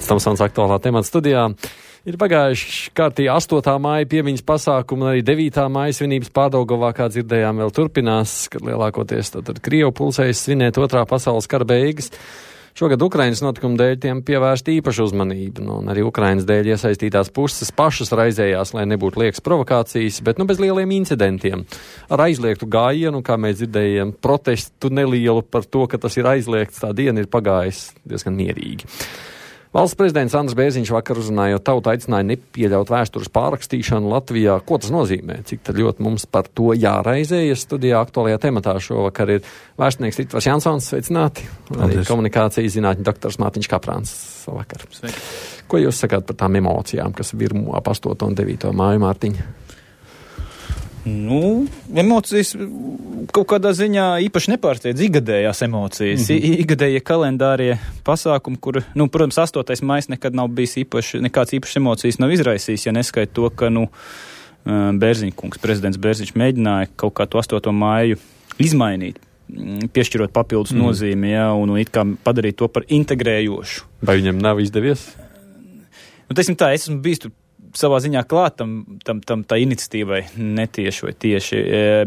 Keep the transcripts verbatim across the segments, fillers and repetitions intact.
Tamsons aktuālā temata studijā. Ir pagājuši kārtīgi astotā māja piemiņas pasākumu, un arī devītā māja svinības Pārdaugavā, kā dzirdējām, vēl turpinās, kad lielākoties tad Krievu pulsējas svinēt otrā pasaules kara beigas. Šogad Ukrainas notikumu dēļ tiem pievērst īpašu uzmanību, nu, un arī Ukrainas dēļ iesaistītās puses pašas raizējās, lai nebūtu liekas provokācijas, bet nu bez lieliem incidentiem. Ar aizliegtu gājienu, kā mēs dzirdējām, protestu nelielu par to, ka tas ir aizliegts, tā diena ir pagājis diezgan mierīgi. Valsts prezidents Andris Bērziņš vakar uzrunājot tautu aicināja nepieļaut vēstures pārrakstīšanu Latvijā. Ko tas nozīmē? Cik tad ļoti mums par to jāraizējas? Studijā aktuālajā tematā šovakar ir vēsturnieks Ritvars Jansons. Sveicināti. Arī komunikācijas zinātņu doktors Mārtiņš Kaprāns. Savakar. Sveiki. Ko jūs sakāt par tām emocijām, kas virmo ap astoto un devīto māju, Mārtiņa? Nu, emocijas kaut kādā ziņā īpaši nepārsteidz igadējās emocijas, mm-hmm. igadējie kalendārie pasākumi, kur, nu, protams, astotais maijs nekad nav bijis īpaši, nekāds īpašs emocijas nav izraisījis, ja neskait to, ka, nu, Bērziņkungs, prezidents Bērziņš mēģināja kaut kā to astoto māju izmainīt, piešķirot papildus mm. nozīmi, ja, un, un it kā padarīt to par integrējošu. Vai viņam nav izdevies? Nu, teiksim tā, es esmu bijis tur savā ziņā klāt tam, tam, tam tā iniciatīvai, netieši vai tieši,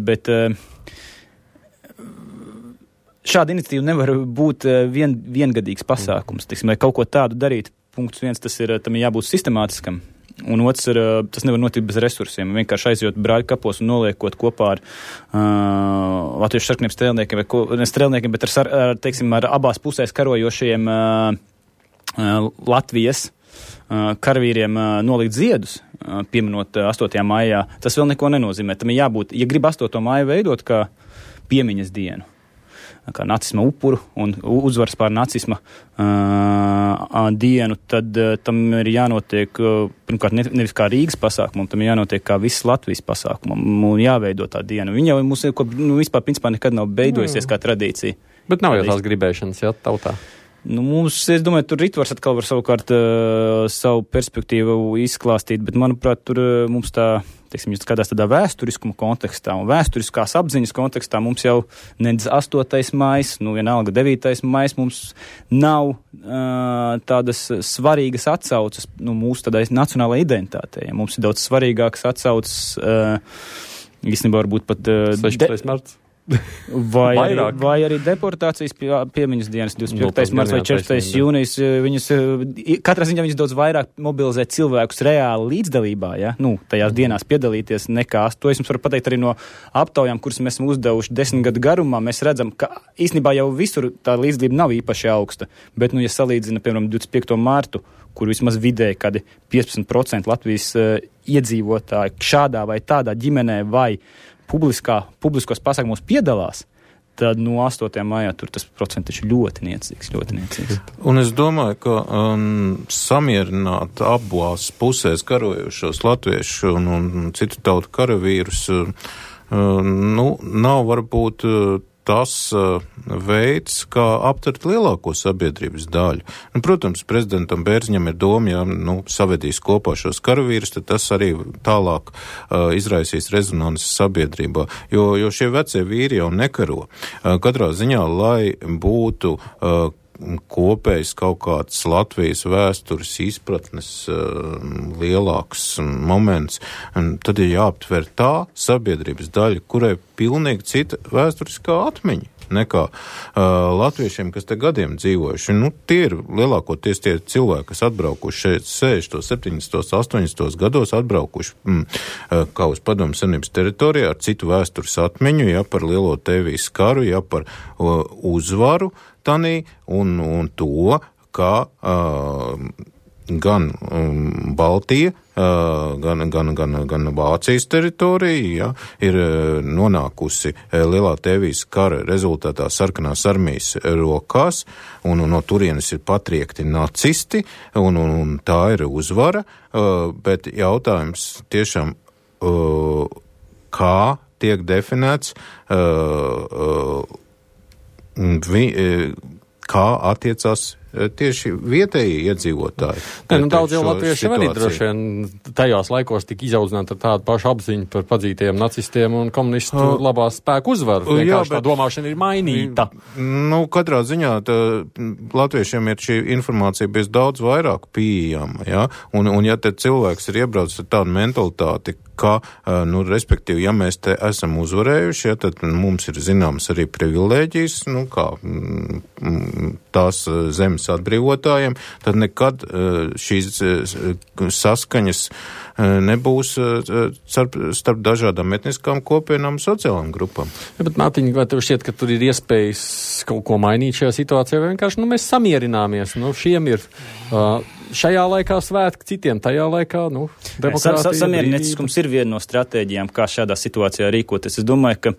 bet šāda iniciatīva nevar būt vien, viengadīgs pasākums, tiksim, lai kaut ko tādu darīt. Punkts viens, tas ir, tam ir jābūt sistemātiskam, un otrs ir, tas nevar notikt bez resursiem, vienkārši aizjot brāļu kapos un noliekot kopā ar uh, latviešu sarkaniem strēlniekiem, vai ko, ne strēlniekiem, bet ar, ar, teiksim, ar abās pusēs karojošiem uh, uh, Latvijas karavīriem nolikt ziedus, pieminot astotajā maijā, tas vēl neko nenozīmē. Tam ir jābūt, ja grib astoto māju veidot kā piemiņas dienu, kā nacisma upuru un uzvaras pār nacisma uh, dienu, tad uh, tam ir jānotiek, uh, pirmkārt, ne, nevis kā Rīgas pasākumam, tam ir jānotiek kā visas Latvijas pasākumam un jāveido tā diena. Viņa jau mums nu, vispār principā nekad nav beidojusies kā tradīcija. Bet nav jau tās gribēšanas, jā, tautā. Nu, mums, es domāju, tur Ritvars atkal var savukārt uh, savu perspektīvu izklāstīt, bet, manuprāt, tur uh, mums tā, teiksim, skatās tādā vēsturiskuma kontekstā un vēsturiskās apziņas kontekstā mums jau nedz astotais maijs, nu, vienalga devītais maijs, mums nav uh, tādas svarīgas atsaucas, nu, mūsu tādai nacionālajai identitātei. Ja mums ir daudz svarīgākas atsaucas, uh, īstenībā varbūt pat... Uh, sešpadsmitais marts. Vai arī, vai arī deportācijas pie, piemiņas dienas divdesmit piektais marts vai četrpadsmitais jūnijas, viņas, katrā ziņā viņas daudz vairāk mobilizē cilvēkus reāli līdzdalībā, ja, nu, tajās dienās piedalīties nekā, to es jums varu pateikt arī no aptaujām, kuras mēs esam uzdevuši desmit gadu garumā, mēs redzam, ka īstenībā jau visur tā līdzdalība nav īpaši augsta, bet, nu, ja salīdzina, piemēram, divdesmit piekto martu, kur vismaz vidēji kādi piecpadsmit procenti Latvijas uh, iedzīvotāji šādā vai tādā ģimenē vai publiskā, publiskos pasākumos piedalās, tad no astotajā maijā tur tas procents ir ļoti niecīgs, ļoti niecīgs. Un es domāju, ka um, samierināt abās pusēs karojušos latviešu un, un citu tautu karavīrus, uh, nu, nav varbūt uh, tas uh, veids, kā aptvert lielāko sabiedrības daļu. Nu, protams, prezidentam Bērziņam ir doma, ja nu, savedīs kopā šos karavīrus, tad tas arī tālāk uh, izraisīs rezonanci sabiedrībā, jo, jo šie vecie vīri jau nekaro. Uh, katrā ziņā, lai būtu uh, kopējs kaut kāds Latvijas vēstures izpratnes uh, lielāks moments, un tad ir jāaptver tā sabiedrības daļa, kurai pilnīgi cita vēsturiskā atmiņa nekā uh, latviešiem, kas te gadiem dzīvojuši. Nu, tie ir lielākoties tie cilvēki, kas atbraukuši šeit sešdesmitos, septiņdesmitos, astoņdesmitos gados, atbraukuši mm, uh, kā uz Padomju Savienības teritorijā ar citu vēstures atmiņu, ja par lielo Tēvijas karu, ja par uh, uzvaru tanī un, un to, kā uh, gan um, Baltija, uh, gan, gan, gan, gan Vācijas teritorija, ja, ir uh, nonākusi uh, lielā Tēvijas kara rezultātā sarkanās armijas rokās, un, un no turienes ir patriekti nacisti, un, un, un tā ir uzvara, uh, bet jautājums tiešām, uh, kā tiek definēts, uh, uh, vi, uh, kā attiecās tieši vietējie iedzīvotāji. Ne, nu, daudz jau latvieši arī droši vien tajos laikos tika izaudzināti ar tādu pašu apziņu par padzītajiem nacistiem un komunistu uh, labās spēku uzvaru. Vienkārši jā, bet, tā domāšana ir mainīta. Nu, katrā ziņā tā, latviešiem ir šī informācija bijis daudz vairāk pieejama, ja? Un, un ja te cilvēks ir iebraucis ar tādu mentalitāti, ka, nu, respektīvi, ja mēs te esam uzvarējuši, ja, tad mums ir zināms arī privilēģijas, nu, kā tās zemes atbrīvotājiem, tad nekad šīs saskaņas nebūs starp, starp dažādām etniskām kopienām un sociālām grupām. Ja, bet, Mārtiņ, vai tev šķiet, ka tur ir iespējas kaut ko mainīt šajā situācijā, vai vienkārši, nu, mēs samierināmies, nu, šiem ir uh, šajā laikā svētki, citiem tajā laikā, nu, demokrātija. Samierinieciskums ir viena no stratēģijām, kā šādā situācijā rīkoties. Es domāju, ka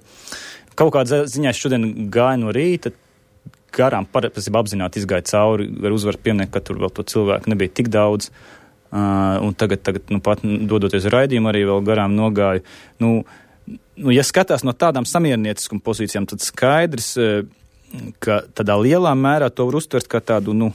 kaut kādā ziņā šodien gāja no rīta, garām parasti apzināti izgāja cauri, var uzvaru pieminēt, ka tur vēl to cilvēku nebija tik daudz. Uh, un tagad, tagad nu, pat dodoties raidījumu, arī vēl garām nogāju. Nu, nu, ja skatās no tādām samierinieciskuma pozīcijām, tad skaidrs, ka tādā lielā mērā to var uztvert kā tādu, nu,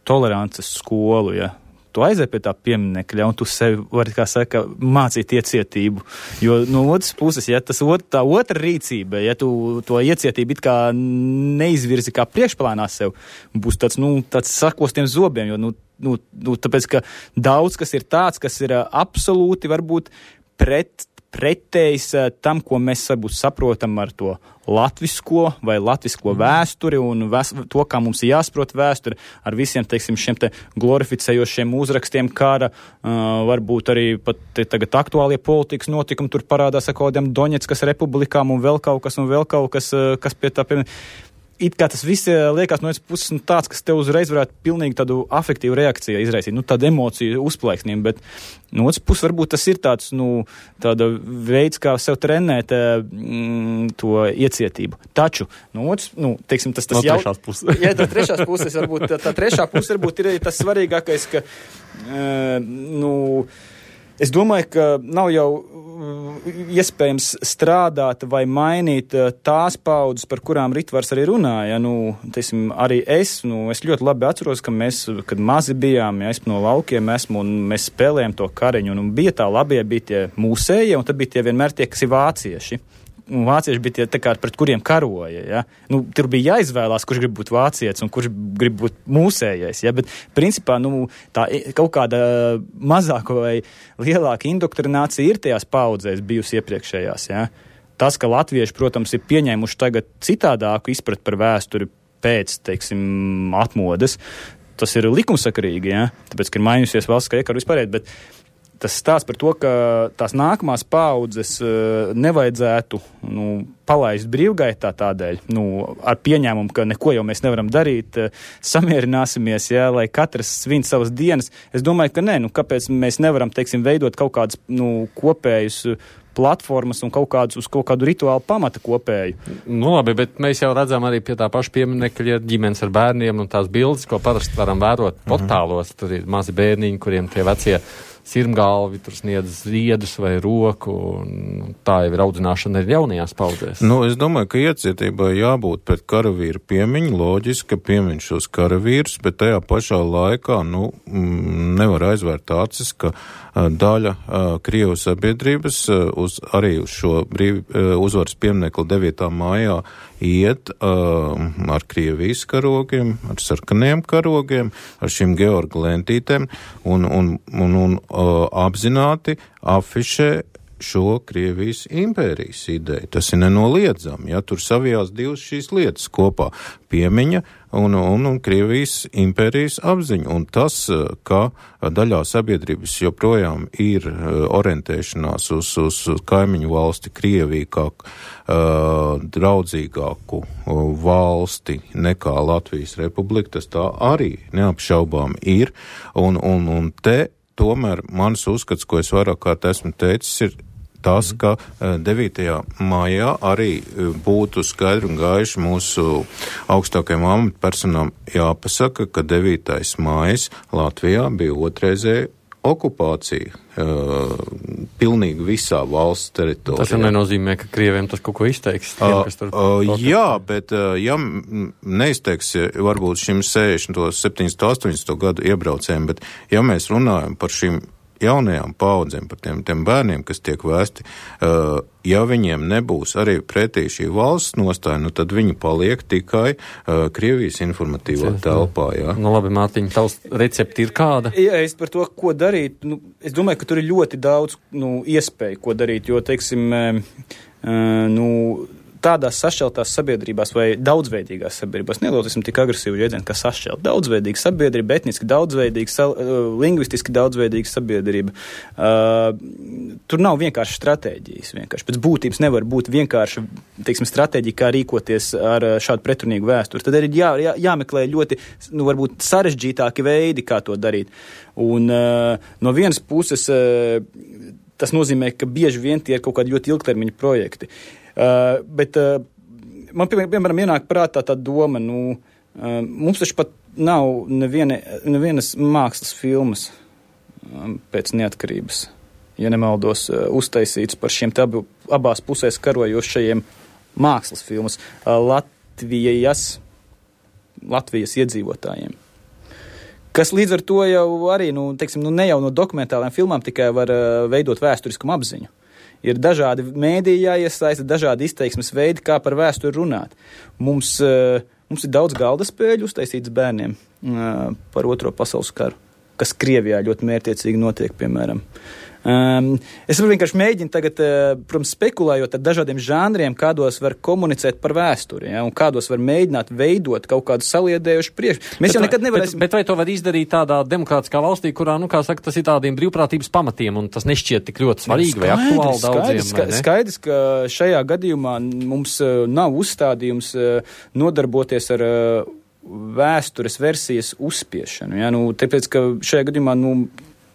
tolerances skolu, ja. Tu aizēj pie tā pieminekļa, un tu sevi vari, kā saka, mācīt iecietību. Jo no otras puses, ja tas ot, tā otra rīcība, ja tu to iecietību it kā neizvirzi kā priekšplānā sev, būs tāds, nu, tāds sakostiem zobiem, jo, nu, nu, nu, tāpēc, ka daudz, kas ir tāds, kas ir absolūti varbūt pret, pretējs tam, ko mēs varbūt saprotam ar to latvisko vai latvisko vēsturi un vēs, to, kā mums ir jāsaprot vēsturi ar visiem, teiksim, šiem te glorificējošiem uzrakstiem kara, uh, varbūt arī pat te, tagad aktuālie politikas notikumi, tur parādās ar kādiem Doņetskas republikām un vēl kaut kas un vēl kaut kas, uh, kas pie tā, pie... It kā tas viss liekas no vienas puses nu, tāds, kas tev uzreiz varētu pilnīgi tādu afektīvu reakciju izraisīt, nu tādu emociju uzplaiksnību, bet no otras puses varbūt tas ir tāds, nu, tāda veids, kā sev trenēt mm, to iecietību. Taču, no otras, nu, teiksim, tas tas no jau... No trešās puses. Jā, tā trešās puses varbūt, tā, tā trešā puse varbūt ir tas svarīgākais, ka, uh, nu, es domāju, ka nav jau iespējams strādāt vai mainīt tās paudzes, par kurām Ritvars arī runāja. Nu, teisim, arī es, nu, es ļoti labi atceros, ka mēs, kad mazi bijām, ja es no laukiem esmu un mēs spēlējam to kariņu, un bija tā labie, bija tie mūsējie, un tad bija tie vienmēr tie, kas ir vācieši. Un vācieši bija tie, tā kā, pret kuriem karoja, ja. Nu, tur bija jāizvēlās, kurš grib būt vācietis un kurš grib būt mūsējais, ja. Bet, principā, nu, tā kaut kāda mazāka vai lielāka indoktrinācija ir tajās paudzēs bijusi iepriekšējās, ja. Tas, ka latvieši, protams, ir pieņēmuši tagad citādāku izprat par vēsturi pēc, teiksim, atmodas, tas ir likumsakarīgi, ja. Tāpēc, ka ir mainījusies valsts, ka iekaru vispārēt, bet tas stāsts par to, ka tās nākamās paudzes uh, nevajadzētu nu, palaist brīvgaitā tādēļ, nu, ar pieņēmumu, ka neko jau mēs nevaram darīt, uh, samierināsimies, jā, lai katrs svin savas dienas. Es domāju, ka nē, nu, kāpēc mēs nevaram, teiksim, veidot kaut kādus nu, kopējus platformas un kaut kādus uz kaut kādu rituālu pamata kopēju. Nu labi, bet mēs jau redzam arī pie tā paša pieminekļa ģimenes ar bērniem un tās bildes, ko parasti varam vērot portālos. Tur ir mazi bērniņi, kuriem tie vecie sirmgalvi tur sniedz ziedus vai roku, un tā jau ir audzināšana arī jaunajās paudzēs. Nu, es domāju, ka iecietībai jābūt pret karavīru piemiņu, loģiski, ka piemiņ šos karavīrus, bet tajā pašā laikā, nu, nevar aizvērt acis, ka daļa Krievu sabiedrības uz, arī uz šo brīv, uzvaras pieminekli devītā mājā iet uh, ar Krievijas karogiem, ar sarkaniem karogiem, ar šīm Georga lentītēm un, un, un, un uh, apzināti afišē šo Krievijas impērijas ideju. Tas ir nenoliedzami, ja tur savijās divas šīs lietas kopā - piemiņa un, un, un Krievijas impērijas apziņa. Un tas, ka daļā sabiedrības joprojām ir orientēšanās uz, uz kaimiņu valsti Krieviju kā uh, draudzīgāku valsti nekā Latvijas republika, tas tā arī neapšaubām ir. Un, un, un te tomēr mans uzskats, ko es vairāk kārt esmu teicis, ir tas, ka devītajā maijā arī būtu skaidri un gaiši mūsu augstākajām amatpersonām jāpasaka, ka devītais maijs Latvijā bija otrreizēja okupācija. pilnīgi visā valsts teritorijā. Tas jau nenozīmē, ka Krieviem tas kaut ko izteiks. Tiem, uh, kas tur uh, jā, bet uh, ja neizteiks varbūt šim sešdesmit, septiņdesmit, astoņdesmit gadu iebraucējiem, bet ja mēs runājam par šīm jaunajām paudzēm, par tiem, tiem bērniem, kas tiek vēsti, uh, ja viņiem nebūs arī pretī šī valsts nostāja, nu tad viņi paliek tikai uh, Krievijas informatīvā telpā, jā. Nu labi, Mārtiņ, tavs recepti ir kāda? Ja es par to, ko darīt, nu, es domāju, ka tur ir ļoti daudz, nu, iespēju, ko darīt, jo, teiksim, uh, nu, tādās sašķeltās sabiedrībās vai daudzveidīgās sabiedrībās, nelūtosim tik agresīvu jēdzienu, kā sašķelt. Daudzveidīga sabiedrība, etniski daudzveidīga, sal, uh, lingvistiski daudzveidīga sabiedrība. Uh, tur nav vienkārši stratēģijas. Vienkārši. Pēc būtības nevar būt vienkārši, teiksim, stratēģija, kā rīkoties ar šādu pretrunīgu vēsturi. Tad ir jā, jā, jāmeklē ļoti, nu, varbūt sarežģītāki veidi, kā to darīt. Un uh, no vienas puses uh, tas nozīmē, ka bieži vien tie ir kaut kādi ļoti ilgtermiņa projekti. Uh, bet uh, man, piemēram, ienāk prātā tā doma, nu, uh, mums taču pat nav neviena, nevienas mākslas filmas um, pēc neatkarības, ja nemaldos, uh, uztaisīts par šiem tabu abās pusēs karojošajiem mākslas filmas uh, Latvijas, Latvijas iedzīvotājiem. Kas līdz ar to jau arī, nu, teiksim, nu, ne jau no dokumentālām filmām tikai var uh, veidot vēsturiskumu apziņu. Ir dažādi mēdīji jāiesaista, dažādi izteiksmes veidi, kā par vēsturi runāt. Mums, uh, mums ir daudz galda spēļu uztaisīts bērniem uh, par Otro pasaules karu, kas Krievijā ļoti mērķiecīgi notiek, piemēram. Um, es vienkārši mēģinu tagad, uh, protams, spekulējot ar dažādiem žanriem, kādos var komunicēt par vēsturi, ja, un kādos var mēģināt veidot kaut kādu saliedējušu priekšu. Mēs bet jau nekad nevarēsim... Bet, bet vai to var izdarīt tādā demokrātiskā valstī, kurā, nu, kā saka, tas ir tādiem brīvprātības pamatiem, un tas nešķiet tik ļoti svarīgi skaidrs, vai aktuāli daudziem? Skaidrs, skaidrs, ka šajā gadījumā mums uh, nav uzstādījums uh, nodarboties ar uh, vēstures versijas uzspiešanu. Ja, nu, tāpēc, ka šajā gadījumā, nu,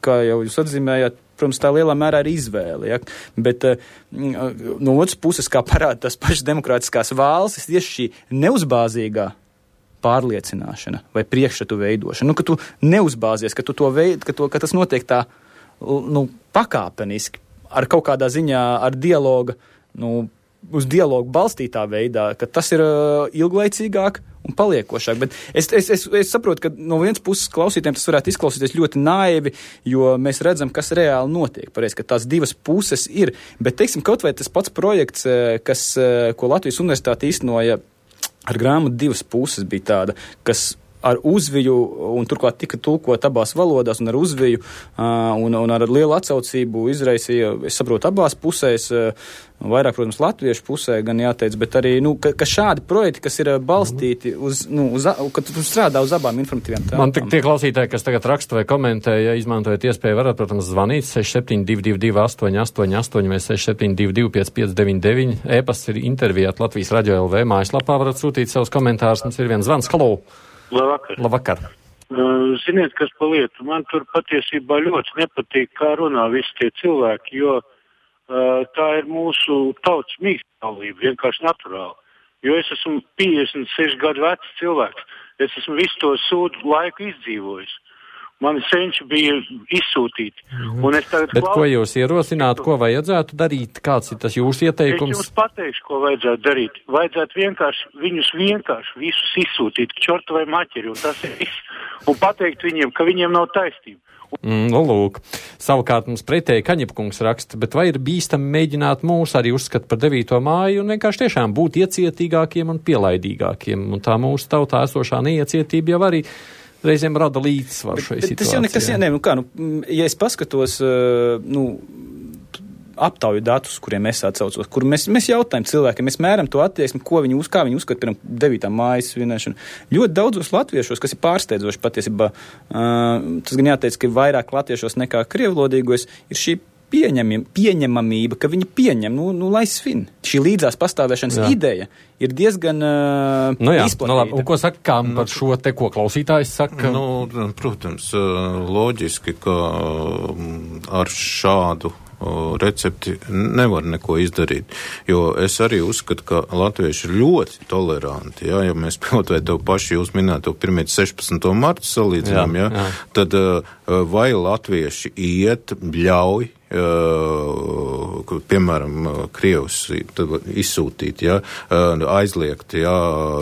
kā jau jūs atzīmējāt, protams, tā lielā mērā ir izvēle, ja? Bet uh, no otras puses, kā parāda tās pašas demokrātiskās valstis, tieši šī neuzbāzīgā pārliecināšana vai priekšstatu veidošana, nu, ka tu neuzbāzies, ka, tu to veid, ka, to, ka tas notiek tā, nu, pakāpeniski, ar kaut kādā ziņā, ar dialoga, nu, uz dialogu balstītā veidā, ka tas ir uh, ilglaicīgāk un paliekošāk. Bet es, es, es, es saprotu, ka no vienas puses klausītājiem tas varētu izklausīties ļoti naivi, jo mēs redzam, kas reāli notiek. Pareiz, ka tās divas puses ir. Bet, teiksim, kaut vai tas pats projekts, kas, ko Latvijas universitāte īstenoja ar grāmatu divas puses, bija tāda, kas ar uzviju, un turklāt tika tulkot abās valodās, un ar uzviju, uh, un, un ar lielu atsaucību izraisīja, es saprotu, abās pusēs, uh, vairāk, protams, latviešu pusē, gan jāteic, bet arī, nu, ka, ka šādi projekti, kas ir balstīti uz, nu, uz, ka tu strādā uz abām informatīvām tēmām. Man tik tie klausītāji, kas tagad raksta vai komentē, ja izmantojat iespēju, varat, protams, zvanīt seši septiņi divi divi divi astoņi astoņi astoņi vai seši septiņi divi divi pieci pieci deviņi deviņi. E-pasts ir intervijāt Latvijas radio L V mājaslapā, varat sūtīt savus komentārus. Mums ir viens zvans. Halo! Labvakar. Labvakar. Uh, ziniet, kas pa lietu? Man tur patiesībā ļoti nepatīk, kā runā visi tie cilvēki, jo uh, tā ir mūsu tautas mīkstāvība, vienkārši naturāli. Jo es esmu piecdesmit seši gadu vecs cilvēks. Es esmu visu to sūdu laiku izdzīvojis. Mani senči bija izsūtīti. Mm-hmm. Un es tagad Bet klausu, ko jūs ierosināt, ko vajadzētu darīt? Kāds ir tas jūsu ieteikums? Es jums pateikšu, ko vajadzētu darīt. Vajadzētu vienkārši, viņus vienkārši visus izsūtīt, čortu vai maķeri, un tas ir viss. Un pateikt viņiem, ka viņiem nav taisnība. Mm, nu, lūk. Savukārt mums pretēji Kaņepkungs raksta, bet vai ir bīstami mēģināt mūs arī uzskatīt par devīto māju un vienkārši tiešām būt iecietīgākiem un pielaidīgākiem? Un tā mūsu tautā esošā neiecietība jau arī reizēm rada līdzsvaru šai situācijai. Tas jau nekas, jā, ne, nu kā, nu, ja es paskatos, uh, nu, aptauju datus, kuriem es atsaucos, kur mēs, mēs jautājam cilvēkiem, mēs mēram to attieksmi, ko viņi uz, kā viņi uzskata, piemēram, devītā mājas svinēšanu. Ļoti daudzos latviešos, kas ir pārsteidzoši patiesībā, uh, tas gan jāteic, ka vairāk latviešos nekā krievlodīgos, ir šī pieņemam, pieņemamība, ka viņi pieņem, nu, nu lai svin. Šī līdzās pastāvēšanas jā. Ideja ir diezgan uh, nu jā, izplatīta. Nu labi, un ko saka, kā nu, par šo te, ko klausītājs saka? Nu, protams, loģiski, ka ar šādu recepti nevar neko izdarīt, jo es arī uzskatu, ka latvieši ir ļoti toleranti, jā, ja mēs kaut vai tev paši jūs minēto pirmie sešpadsmito martu salīdzinām, jā, jā, jā. Tad vai latvieši iet, bļauj uh, piemēram, Krievs izsūtīt, ja, uh, aizliegt, ja,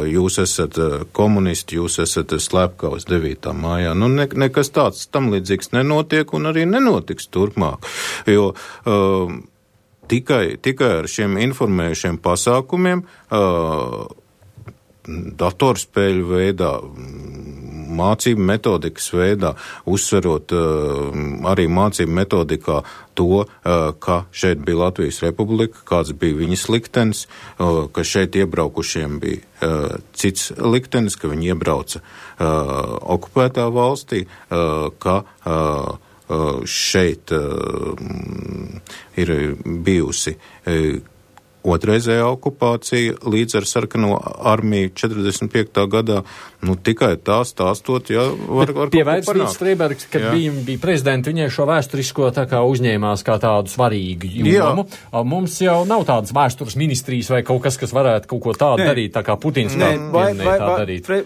jūs esat komunisti, jūs esat slepkavas devītā mājā. Nu, ne, nekas tāds tam līdzīgs nenotiek un arī nenotiks turpmāk, jo uh, tikai, tikai ar šiem informējušiem pasākumiem uh, datorspēļu veidā, mācību metodikas veidā, uzsverot uh, arī mācību metodikā to, uh, ka šeit bija Latvijas Republika, kāds bija viņas liktenis, uh, ka šeit iebraukušiem bija uh, cits liktenis, ka viņi iebrauca uh, okupētā valstī, uh, ka uh, uh, šeit uh, ir bijusi uh, otrreizējā okupācija līdz ar sarkano armiju četrdesmit piektā gadā, nu tikai tā stāstot, jā, var, var pie Vērtsvīts Streibergs, kad bija, bija prezidenti, viņai šo vēsturisko tā kā uzņēmās kā tādu svarīgu jomu. Mums jau nav tādas vēstures ministrijas vai kaut kas, kas varētu kaut ko tādu Nē. darīt, tā kā Putins tā pieminēja tā darīt. Pre,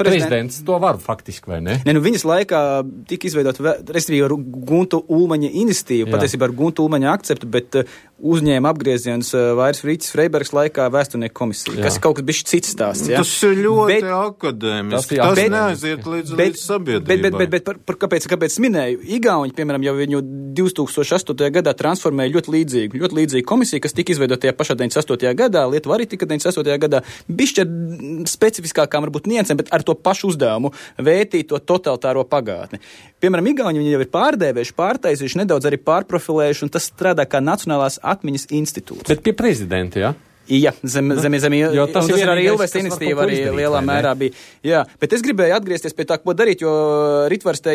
Prezidents to var faktiski, vai ne? Ne, nu viņas laikā tika izveidot, respektīvi ar Guntu Ulmaņa iniciatīvu, patiesībā ar Guntu Ulmaņa akceptu, bet uh, uzņēma apgrieziens uh, vairs Frītis Freibergs laikā vēsturnieku komisija, Jā. kas ir kaut kas bišķi cits stāsts. Ja? Tas ir ļoti bet, akadēmiski, tas, tas neaiziet līdz, bet, līdz sabiedrībai. Bet, bet, bet, bet par, par, kāpēc, kāpēc minēju? Igauņi, piemēram, jau viņu divi tūkstoši astotajā gadā transformēja ļoti līdzīgu, ļoti līdzīgu komisiju, kas tika izveidot tajā pašā deviņdesmit astotajā gadā, Lietuva arī tika deviņdesmit astotajā gadā, bišķi ar specifiskākām varbūt niansēm, bet ar to pašu uzdevumu vētīt to totalitāro pagātni. Piemēram, Igauņi viņi jau ir pārdēvējuši, pārtaisījuši, nedaudz arī pārprofilējuši, un tas strādā kā Nacionālās atmiņas institūts. Bet pie prezidenta, jā? Jā, zem, zem, zem, jo tas, tas ir arī Ilves iniciatīva, arī izdarīt, lielā mērā bija. Jā, bet es gribēju atgriezties pie tā, ko darīt, jo Ritvars te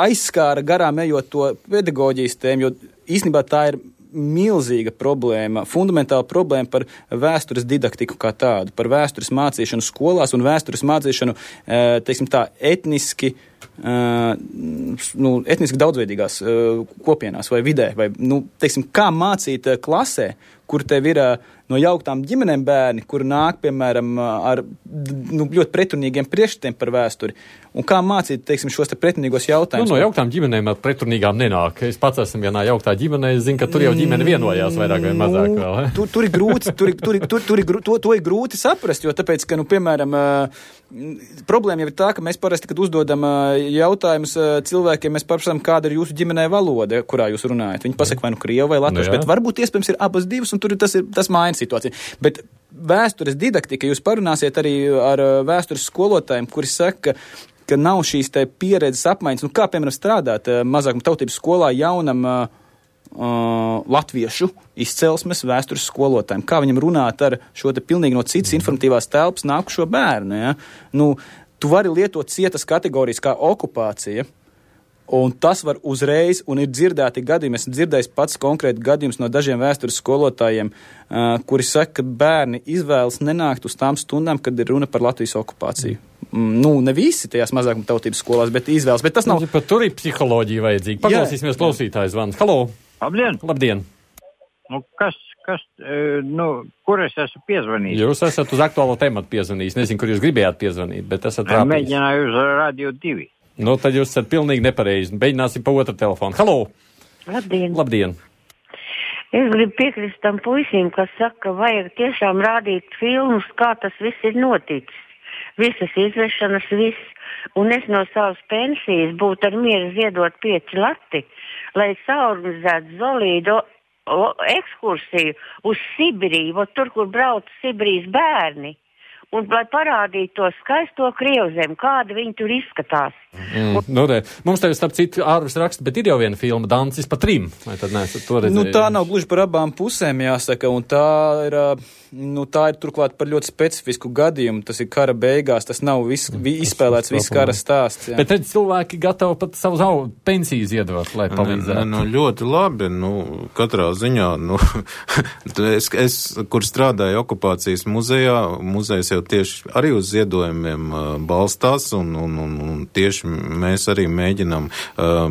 aizskāra garām ejot to pedagoģijas tēmu, jo īstenībā tā ir milzīga problēma, fundamentāla problēma par vēstures didaktiku kā tādu, par vēstures mācīšanu skolās un vēstures mācīšanu, teiksim tā, etniski, nu, etniski daudzveidīgās kopienās vai vidē, vai, nu, teiksim, kā mācīt klasē, kur tev ir no jauktām ģimenēm bērni, kur nāk, piemēram, ar nu, ļoti pretrunīgiem priekšstatiem par vēsturi. Un kā mācīt, teiksim, šos te pretrunīgos jautājumus? Nu, no jauktām ģimenēm ar pretrunīgām nenāk. Es pats esmu vienā jauktā ģimenē, es zinu, ka tur jau ģimene vienojās vairāk vai mazāk vēl. Nu, tur, tur ir grūti, tur, tur, tur, tur ir, to, to ir grūti saprast, jo tāpēc, ka, nu, piemēram, problēma jau ir tā, ka mēs parasti, kad uzdodam jautājumus cilvēkiem, mēs paprasām, kāda ir jūsu ģimenē valoda, kurā jūs runājat. Viņi pasaka, vai nu krievu vai latviešu, bet varbūt iespējams ir abas divas, un tur tas ir, tas maina situācija. Bet vēstures didaktika, jūs parunāsiet arī ar vēstures skolotājiem, kuri saka, ka nav šīs te pieredzes apmaiņas, nu kā, piemēram, strādāt mazākuma tautības skolā jaunam uh, latviešu izcelsmes vēstures skolotājiem, kā viņam runāt ar šo te pilnīgi no citas informatīvās telpas nākušo bērnu, ja? Nu, tu vari lietot cietas kategorijas kā okupācija, un tas var uzreiz, un ir dzirdēti gadījumi, esmu dzirdējis pats konkrēti gadījums no dažiem vēstures skolotājiem, uh, kuri saka, ka bērni izvēlas nenākt uz tām stundām, kad ir runa par Latvijas okupāciju. Mm, nu, ne visi tajās mazākuma tautības skolās, bet izvēlas, bet tas nav... Pat tur ir psiholoģija vajadzīga. Paklausīsimies klausītājs zvans. Halo! Labdien! Labdien! Nu, kas, kas, nu, kur es esmu piezvanījis? Jūs esat uz aktuālo tematu piezvanījis. Nezinu, kur jūs gribējāt piezvanīt, bet esat trāpījis. Mēģināju uz Radio divi. Nu, tad jūs esat pilnīgi nepareizi. Mēģināsim pa otru telefonu. Halo! Labdien! Labdien! Es gribu piekrist tam puisim, kas saka, ka vajag tiešām rādīt filmus, kā tas viss ir noticis. Visas izvešanas, viss. Un es no savas pensijas būtu ar mieru ziedot pieci lati, lai saorganizētu zolīdu ekskursiju uz Sibiriju, tur, kur brauc Sibirijas bērni. Un lai parādītu to skaisto Krievzemi, kāda viņi tur izskatās. Mm, nu, re, mums tev starp citu ārvis raksta, bet ir jau viena filma, Dancis pa trim. Vai tad neesat to redzējuši? Nu, tā nav gluži par abām pusēm, jāsaka, un tā ir, nu, tā ir turklāt par ļoti specifisku gadījumu. Tas ir kara beigās, tas nav vis, vi, izspēlēts viss kara stāsts. Jā. Bet redz, cilvēki gatavi pat savu savu pensiju ziedot, lai palīdzētu. Nu, ļoti labi, nu, katrā ziņā, nu, es, es, kur strādāju okupācijas muzejā, muzejs jau tieši arī uz ziedojumiem balstās, un, un, un, un tieši mēs arī mēģinām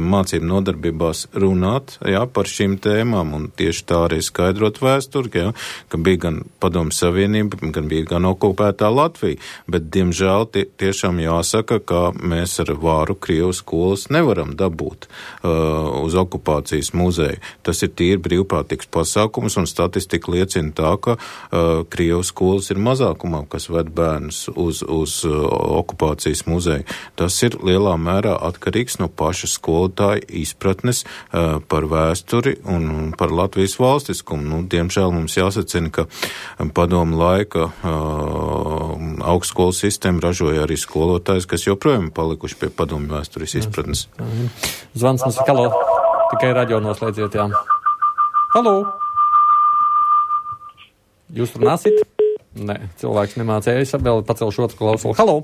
mācību nodarbībās runāt, jā, par šīm tēmām, un tieši tā arī skaidrot vēsturi, jā, ka bija gan Padomju Savienība, gan bija gan okupētā Latvija, bet, diemžēl, tie, tiešām jāsaka, ka mēs ar vāru Krievu skolas nevaram dabūt uh, uz okupācijas muzeju. Tas ir tīri brīvprātīgs pasākums, un statistika liecina tā, ka uh, Krievu skolas ir mazākumā, kas ved bērnus uz, uz uh, okupācijas muzeju. Tas ir lielā mērā atkarīgs no paša skolotāja izpratnes uh, par vēsturi un par Latvijas valstiskumu. Nu, diemžēl mums jāsacina, ka padomu laika uh, augstskolu sistēma ražoja arī skolotājs, kas joprojām palikuši pie padomu vēstures izpratnes. Zvans mums ir, halo, tikai radio noslēdziet, jā. Halo! Jūs runāsit? Nē, cilvēks nemācējas, vēl pacelšu otru klausulu. Halo!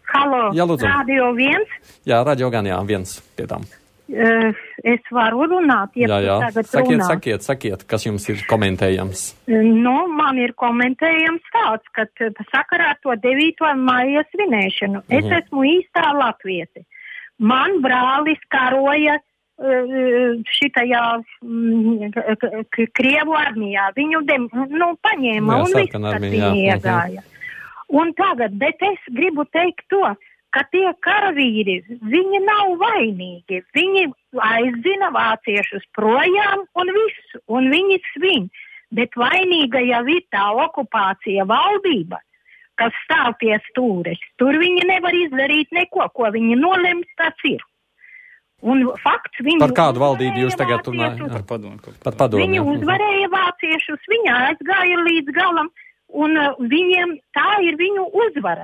Halo, jā, lūdzu. Radio viens? Jā, radio gan, jā, viens pie tām. Uh, es varu runāt, ja jā, jā. tagad sakiet, runāt. sakiet, sakiet, kas jums ir komentējams? Nu, man ir komentējams tāds, ka sakarā ar to devīto maija svinēšanu. Uh-huh. Es esmu īstā latvieti. Man brālis karoja šitajā Krievu armijā. Viņu dem, nu, paņēma jā, un viss, kas viņa iegāja. Un tagad, bet es gribu teikt to, ka tie karavīri, viņi nav vainīgi. Viņi aizdzina vāciešus projām un visu, un viņi svin. Bet vainīga jau ir tā okupācija valdība, kas stāv pie stūres. Tur viņi nevar izdarīt neko, ko viņi nolems, tas ir. Un fakts, viņi par kādu valdību jūs tagad runājat? Par padomu. Par padomu. Viņi uzvarēja vāciešus, viņi aizgāja līdz galam. Un uh, viņiem tā ir viņu uzvara.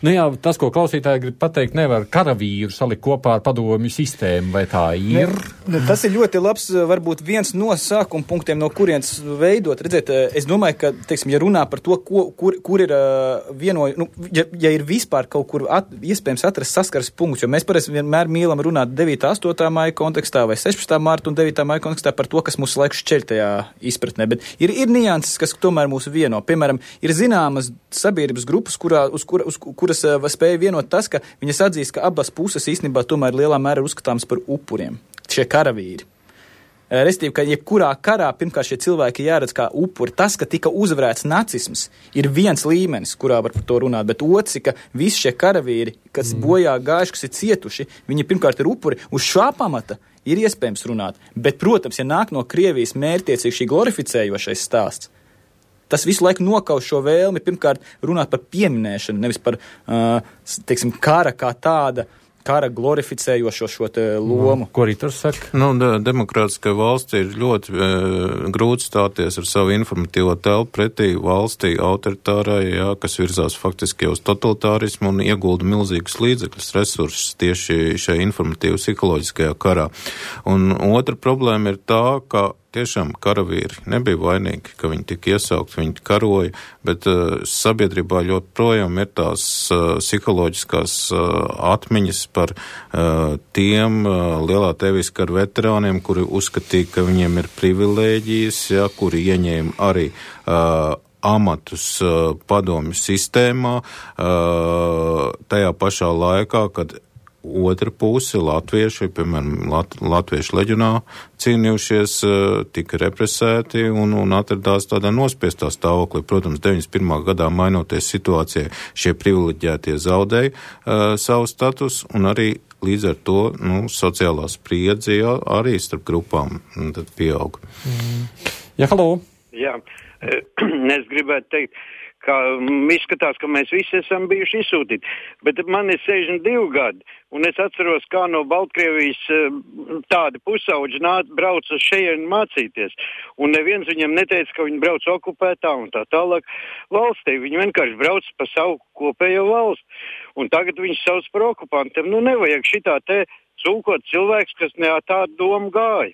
Nu jā, tas, ko klausītāji grib pateikt, nevar karavīru salikt kopā ar padomju sistēmu, vai tā ir? Ne, ne, tas ir ļoti labs, varbūt viens no sākuma punktiem, no kurienes veidot. Redziet, es domāju, ka, teiksim, ja runā par to, ko, kur, kur ir uh, vienoj, nu, ja, ja ir vispār kaut kur at, iespējams atrast saskaras punkts, jo mēs parasti vienmēr mīlam runāt devītā, astotā maija kontekstā vai sešpadsmitā marta un devītā maija kontekstā par to, kas mūsu laiku šķeļ tajā izpratnē, bet ir, ir nianses, kas tomēr mūsu vieno. Piemēram, ir zināmas sabiedrības grupas, kurā, uz, kur, uz kuras uh, spēja vienot tas, ka viņas atzīst, ka abas puses īstenībā tomēr lielā mērā uzskatāmas par upuriem, šie karavīri. Uh, Restīvi, ka jebkurā karā pirmkārt šie cilvēki jāredz kā upuri. Tas, ka tika uzvarēts nacisms, ir viens līmenis, kurā var par to runāt, bet otrs, ka visi šie karavīri, kas mm. bojā gājuši, kas ir cietuši, viņi pirmkārt ir upuri. Uz šā pamata ir iespējams runāt, bet, protams, ja nāk no Krievijas mērķtiecīgi šī glorificējošais stāsts, tas visu laiku nokauš šo vēlmi pirmkārt runāt par pieminēšanu, nevis par, uh, teiksim, kara kā tāda, kara glorificējošo šo te lomu. Ko arī tur saka? Nu, de- demokrātiskai valstī ir ļoti e, grūti stāties ar savu informatīvo telpu pretī valstī autoritārai, jā, kas virzās faktiski uz totalitārismu un iegulda milzīgus līdzekļus, resursus tieši šajā informatīvu psiholoģiskajā karā. Un otra problēma ir tā, ka tiešām karavīri nebija vainīgi, ka viņi tika iesaukt, viņi karoja, bet uh, sabiedrībā ļoti projām ir tās uh, psiholoģiskās uh, atmiņas par uh, tiem uh, lielā tevis karu veterāniem, kuri uzskatīja, ka viņiem ir privilēģijas, ja, kuri ieņēma arī uh, amatus uh, padomju sistēmā, uh, tajā pašā laikā, kad otra puse, latvieši, piemēram, Lat- latviešu leģionā cīnījušies, tika represēti un, un atradās tādā nospiestā stāvoklī. Protams, deviņdesmit pirmā gadā mainoties situācijai, šie privileģētie zaudēja uh, savu status un arī līdz ar to, nu, sociālā spriedze arī starp grupām tad pieaug. Mm. Jā, halo! Jā, es gribētu teikt, ka izskatās, ka mēs visi esam bijuši izsūtīti, bet man ir sešdesmit divi gadi, un es atceros, kā no Baltkrievijas tādi pusauģi nāca, brauc uz šejienu mācīties, un neviens viņam neteica, ka viņi brauc okupētā un tā tālāk valstī, viņi vienkārši brauc pa savu kopējo valsti, un tagad viņš sauc par okupantiem, nu nevajag šitā te cūkot cilvēks, kas ne tādu domu gāja.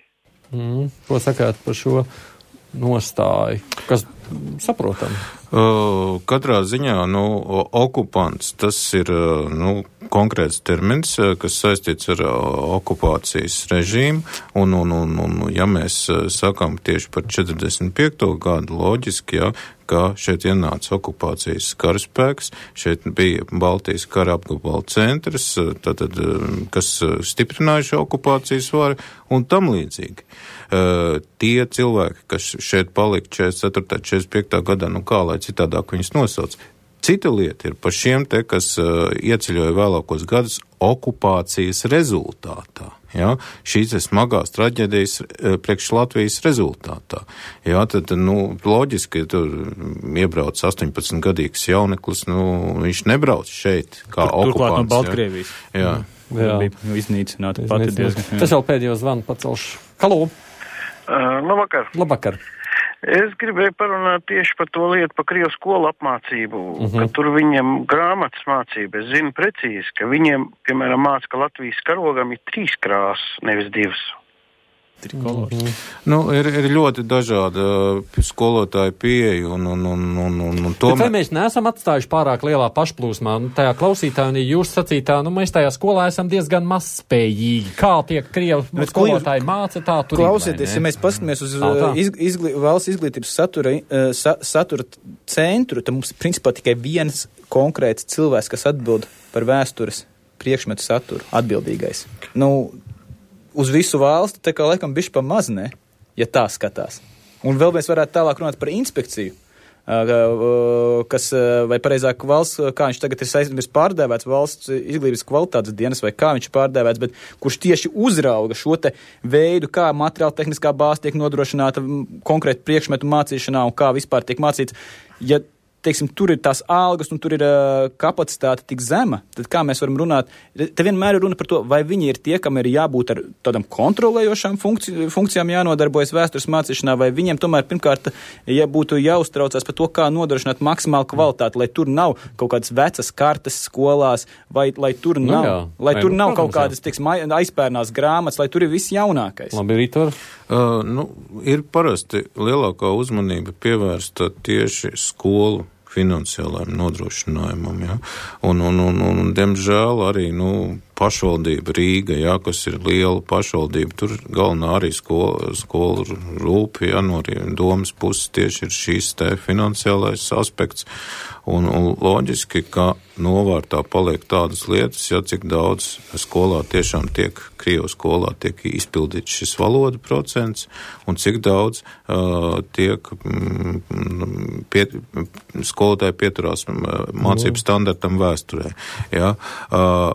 Mm, ko sakāt par šo nostāju? Kas saprotam. Uh, katrā ziņā, nu, okupants, tas ir, nu, konkrēts termins, kas saistīts ar okupācijas režīmu, un, un, un, un ja mēs sakām tieši par četrdesmit piekto gadu, loģiski, jā, ka šeit ienāca okupācijas karaspēks, šeit bija Baltijas kara apgabala centrs, tātad, kas stiprināja šo okupācijas varu un tam līdzīgi. Uh, tie cilvēki, kas šeit palika četrdesmit ceturtā, četrdesmit piektā gadā, nu kā lai citādāk viņus nosauc. Cita lieta ir par šiem te, kas uh, ieceļoja vēlākos gadus okupācijas rezultātā. Ja? Šīs ir smagās traģēdijas uh, priekš Latvijas rezultātā. Ja? Tad, nu, loģiski, ja tur iebrauc astoņpadsmitgadīgs jauneklis, nu, viņš nebrauc šeit kā Tur, okupants. Turklāt no Baltkrievijas. Ja? Jā. Jā. Bija iznīcināta pati diezgan. Tas vēl pēdējo zvanu pacelšu. Halo! Uh, labvakar. Labvakar. Es gribēju parunāt tieši par to lietu, par Krievu skolu apmācību, Uh-huh. ka tur viņiem grāmatas mācība. Es zinu precīzi, ka viņiem, piemēram, māca, ka Latvijas karogam ir trīs krāsas, nevis divas. Mm-hmm. Nu, ir, ir ļoti dažāda skolotāja pieeja un, un, un, un, un, un tomēr... Bet vai mēs neesam atstājuši pārāk lielā pašplūsmā? Nu, tajā klausītājā un jūs sacītā, nu, mēs tajā skolā esam diezgan mazspējīgi. Kā tie Krievu Bet skolotāji māca, tā tur Klausieties, ja mēs paskatāmies uz iz, izglī, valsts izglītības satura, sa, satura centru, tad mums ir principā tikai viens konkrēts cilvēks, kas atbild par vēstures priekšmetu saturu, atbildīgais. Nu, uz visu valsti, tā kā laikam bišķi pa maz, ne, ja tā skatās. Un vēl mēs varētu tālāk runāt par inspekciju, kas, vai pareizāk valsts, kā viņš tagad ir saistības pārdēvēts, valsts izglītības kvalitātes dienas, vai kā viņš ir pārdēvēts, bet kurš tieši uzrauga šo te veidu, kā materiāla tehniskā bāze tiek nodrošināta konkrēti priekšmetu mācīšanā un kā vispār tiek mācīts. Ja teiksim, tur ir tās algas un tur ir uh, kapacitāte tik zema, tad kā mēs varam runāt, te vienmēr ir runa par to, vai viņi ir tie, kam ir jābūt ar tādam kontrolējošām funkci- funkcijām jānodarbojas vēstures mācīšanā, vai viņiem tomēr pirmkārt ja būtu jāuztraucās par to, kā nodrošināt maksimālu kvalitāti, lai tur nav kaut kādas vecas kartes skolās, vai lai tur Nu nav, jā, lai vai, tur nu, nav protams, kaut kādas, teiksim, aizpērnās grāmatas, lai tur ir viss jaunākais. Labi, Rītor. Uh, nu, ir parasti lielākā uzmanība pievērsta tieši skolu finansiālajiem nodrošinājumam, ja? un, un, un, un, diemžēl, arī, nu, pašvaldība Rīga, ja, kas ir liela pašvaldība, tur galvenā arī skola, skola rūpi, ja, no domas puses tieši ir šīs te finansiālais aspekts, un, un loģiski, ka novārtā paliek tādas lietas, ja cik daudz skolā tiešām tiek, Krievu skolā tiek izpildīts šis valodu procents, un cik daudz uh, tiek mm, pie, skolotāji pieturās mācību standartam vēsturē, ja, uh,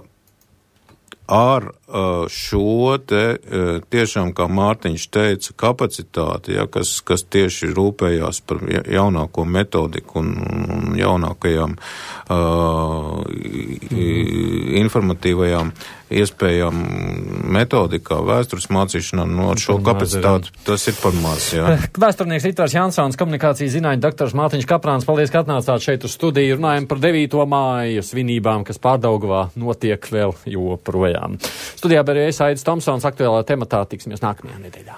ar uh, šo te uh, tiešām, kā Mārtiņš teica, kapacitāti, ja, kas, kas tieši rūpējās par jaunāko metodiku un, un jaunākajām uh, informatīvajām iespējām metodikā vēstures mācīšanā, no ar šo kapacitāti tas ir par maz, jā. Vēsturnieks Ritvars Jansons, komunikācijas zinātņu doktors Mārtiņš Kaprāns, paldies, ka atnācāt šeit uz studiju, runājam par devīto māju svinībām, kas Pārdaugavā notiek vēl joprojām. Studijā bija es Aidis Tomsons, aktuālā tematā tiksimies nākamajā nedēļā.